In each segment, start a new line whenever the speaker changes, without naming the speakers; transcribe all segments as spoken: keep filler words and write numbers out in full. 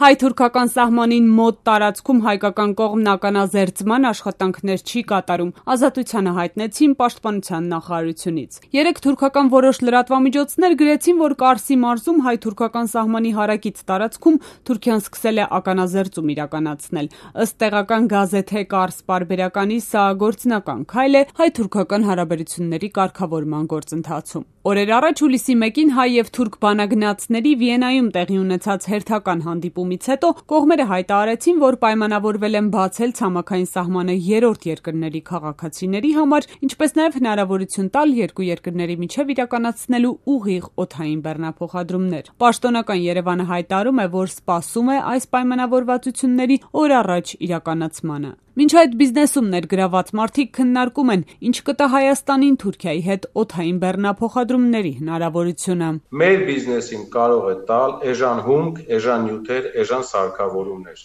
Հայ-թուրքական սահմանին մոտ տարածքում հայկական կողմն ականազերծման աշխատանքներ չի կատարում, ազատությանը հայտնեցին Պաշտպանության նախարարությունից։ Երեկ թուրքական որոշ լրատվամիջոցներ գրեցին, որ Կարսի մարզում հայ-թուրքական սահմանի հարակից տարածքում Թուրքիան սկսել է ականազերծում իրականացնել։ Ըստ տեղական գազեթե Կարս պարբերականի սա գործնական քայլ է հայ-թուրքական հարաբերությունների կարգավորման գործընթացում։ Օրեր առաջ հուլիսի մեկին հայ եւ թուրք բանագնացների Վիեննայում տեղի ունեցած հերթական հանդիպումից հետո կողմերը հայտարարեցին, որ պայմանավորվել են բացել ցամաքային սահմանը երրորդ երկրների քաղաքացիների համար, ինչպես նաեւ հնարավորություն տալ երկու երկրների միջև իրականացնելու ուղիղ օդային բեռնափոխադրումներ։ Պաշտոնական Երևանը հայտարարում է, որ սպասում է այս պայմանավորվածությունների օր առաջ իրականացմանը։ Մինչ այդ բիզնեսում ներգրաված մարդիկ քննարկում են, ինչ կտա Հայաստանին Թուրքիայի հետ օդային բեռնափոխադրումների հնարավորությունը։
Մեր բիզնեսին կարող է տալ էժան հումք, էժան նյութեր, էժան սարքավորումներ։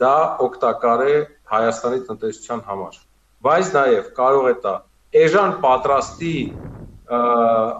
Դա օգտակար է Հայաստանի տնտեսության համար։ Բայց նաև կարող է տա էժան պատրաստի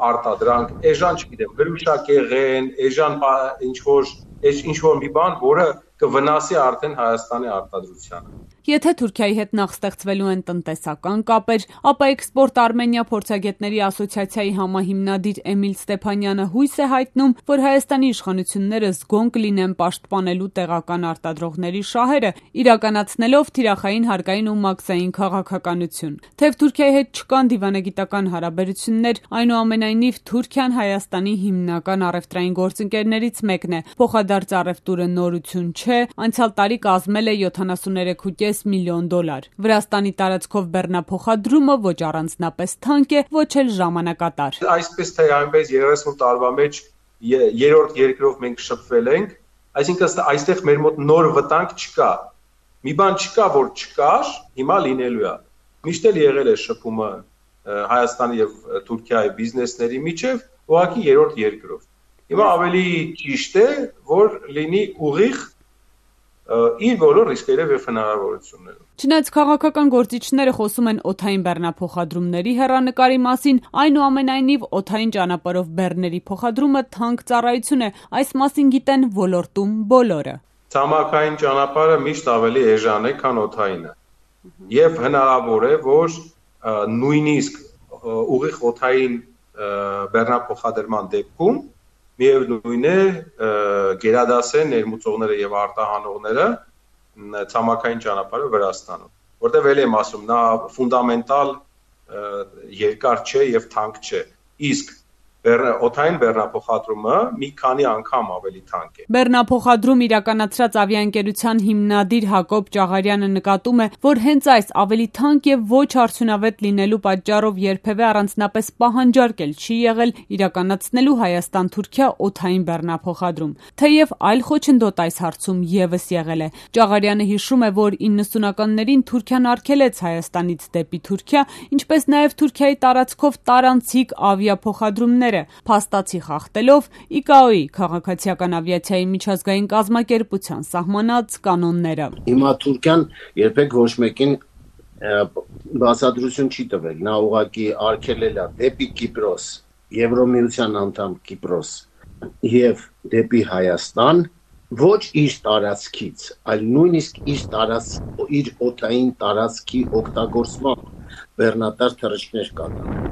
արտադրանք, էժան, չգիտեմ, հրուշակեղեն, էժան ինչ-որ ինչ-որ մի բան, որը կվնասի արդեն Հայաստանի արտադրությանը։
Եթե Թուրքիայի հետ նախ ստեղծվելու են տնտեսական կապեր, ապա Էքսպորտ Արմենիա փորձագետների ասոցիացիայի համահիմնադիր Էմիլ Ստեփանյանը հույս է հայտնում, որ Հայաստանի իշխանությունները զգոն կլինեն պաշտպանելու տեղական արտադրողների շահերը, իրականացնելով թիրախային հարկային ու մաքսային քաղաքականություն։ Թեև Թուրքիայի հետ չկան դիվանագիտական հարաբերություններ, այնուամենայնիվ Թուրքիան Հայաստանի հիմնական առևտրային գործընկերներից մեկն է։ Փոխադարձ առևտուրը նորություն չէ, անցյալ տարի կազմել է յոթանասուններեք կόμμα պենս միլիոն դոլար։ Վրաստանի տարածքով բեռնափոխադրումը ոչ առանձնապես թանկ է, ոչ էլ ժամանակատար։
Այսպես թե այնպես երեսուն տարվա մեջ երրորդ երկրով մենք շփվել ենք, այսինքն այստեղ մեր մոտ նոր վտանգ չկա։ Մի բան չկա, որ չկար, հիմա լինելու է։ Միշտ էլ եղել է շփումը Հայաստանի եւ Թուրքիայի բիզնեսների միջև, ուղղակի երրորդ երկրով։ Հիմա ավելի ճիշտ է, որ լինի ուղիղ իր բոլոր ռիսկերով եւ հնարավորություններով։
Չնայած քաղաքական գործիչները խոսում են օդային բեռնափոխադրումների հեռանկարի մասին, այնուամենայնիվ օդային ճանապարհով բեռների փոխադրումը թանկ ծառայություն է, այս մասին գիտեն ոլորտում բոլորը։
Ցամաքային ճանապարհը միշտ ավելի էժան է, քան օդայինը։ Եվ հնարավոր է, որ նույնիսկ ուղիղ օդային բեռնափոխադրման դեպքում միևնույն է գերադասեն ներմուծողները եւ արտահանողները ցամաքային ճանապարհը Վրաստանում, որտեղ էլ եմ ասում, նա ֆունդամենտալ երկար չէ եւ թանկ չէ, իսկ օդային բեռնափոխադրումը մի քանի անգամ ավելի թանկ է։
Բեռնափոխադրում իրականացրած ավիաընկերության հիմնադիր Հակոբ Ճաղարյանը նկատում է, որ հենց այս ավելի թանկ եւ ոչ արդյունավետ լինելու պատճառով երբևէ առանձնապես պահանջարկ էլ չի եղել իրականացնելու Հայաստան-Թուրքիա օդային բեռնափոխադրում, թեև այլ խոչընդոտ այս հարցում եւս եղել է։ Ճաղարյանը հիշում է, որ իննսունականներին Թուրքիան արգելեց Հայաստանից դեպի Թուրքիա, ինչպես նաեւ Թուրքիայի տարածքով տարանցիկ ավիափոխադրումներ փաստացի խախտելով ի կա օ-ի քաղաքացիական ավիացիայի միջազգային կազմակերպության սահմանած կանոնները։
Հիմա Թուրքիան երբեք ոչ մեկին բացատրություն չի տվել, նա ուղղակի արգելել է դեպի Կիպրոս, Եվրոմիության անդամ Կիպրոս եւ դեպի Հայաստան ոչ իր տարածքից, այլ նույնիսկ իր տարածք իր օդային տարածքի օգտագործման բեռնատար թռիչքներ կատարել։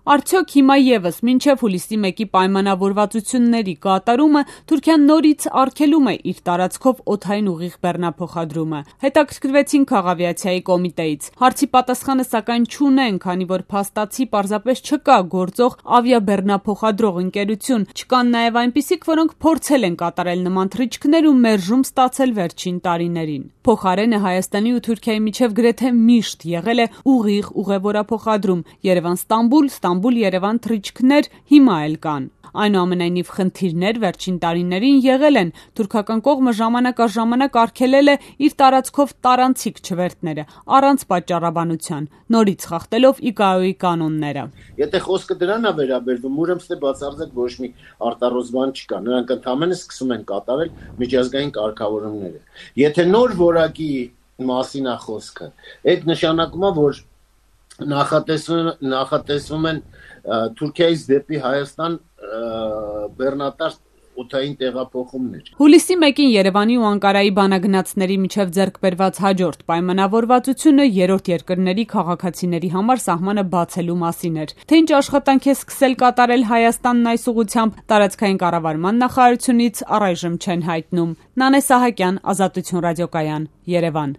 Արդյոք հիմա եւս մինչեւ հուլիսի մեկի պայմանավորվածությունների կատարումը Թուրքիան նորից արգելում է իր տարածքով օդային ուղիղ բեռնափոխադրումը։ Հետաքրքրվեցին քաղավիացիայի կոմիտեից։ Հարցի պատասխանը սակայն չունեն, քանի որ փաստացի պարզապես չկա գործող ավիաբեռնափոխադրող ընկերություն, չկան նաեւ այնպիսիք, որոնք փորձել են կատարել նման թռիչքներ ու մերժում ստացել վերջին տարիներին։ Փոխարենը Հայաստանի ու Թուրքիայի միջև գրեթե միշտ եղել է ուղիղ ուղևորափոխադրում Երևան-Ստամբուլ, Ստամբուլ-Երևան թռիչքներ հիմա էլ կան։ Այնուամենայնիվ խնդիրներ վերջին տարիներին եղել են։ Թուրքական կողմը ժամանակ առ ժամանակ արգելել է իր տարածքով տարանցիկ չվերթները առանց պատճառաբանության, նորից խախտելով ի կա օ-ի կանոնները։
Եթե խոսքը դրան է վերաբերվում, ուրեմն թե բացարձակ ոչ մի արտառոց բան չկա։ Նրանք ընդհանրապես սկսում են կատարել միջազգային կարգավորումները։ Եթե նոր որակի մասին է խոսքը, այդ նշանակում է, որ նախատեսվում նախատեսվում են Թուրքիայից դեպի Հայաստան բեռնատար օթային տեղափոխումներ։
Հուլիսի մեկին Երևանի ու Անկարայի բանագնացների միջև ձեռք բերված հաջորդ պայմանավորվածությունը երրորդ երկրների քաղաքացիների համար սահմանը բացելու մասին էր։ Թե ինչ աշխատանք է սկսել կատարել Հայաստանն այս ուղղությամբ, տարածքային կառավարման նախարարությունից առայժմ չեն հայտնում։ Նանե Սահակյան, Ազատություն ռադիոկայան, Երևան։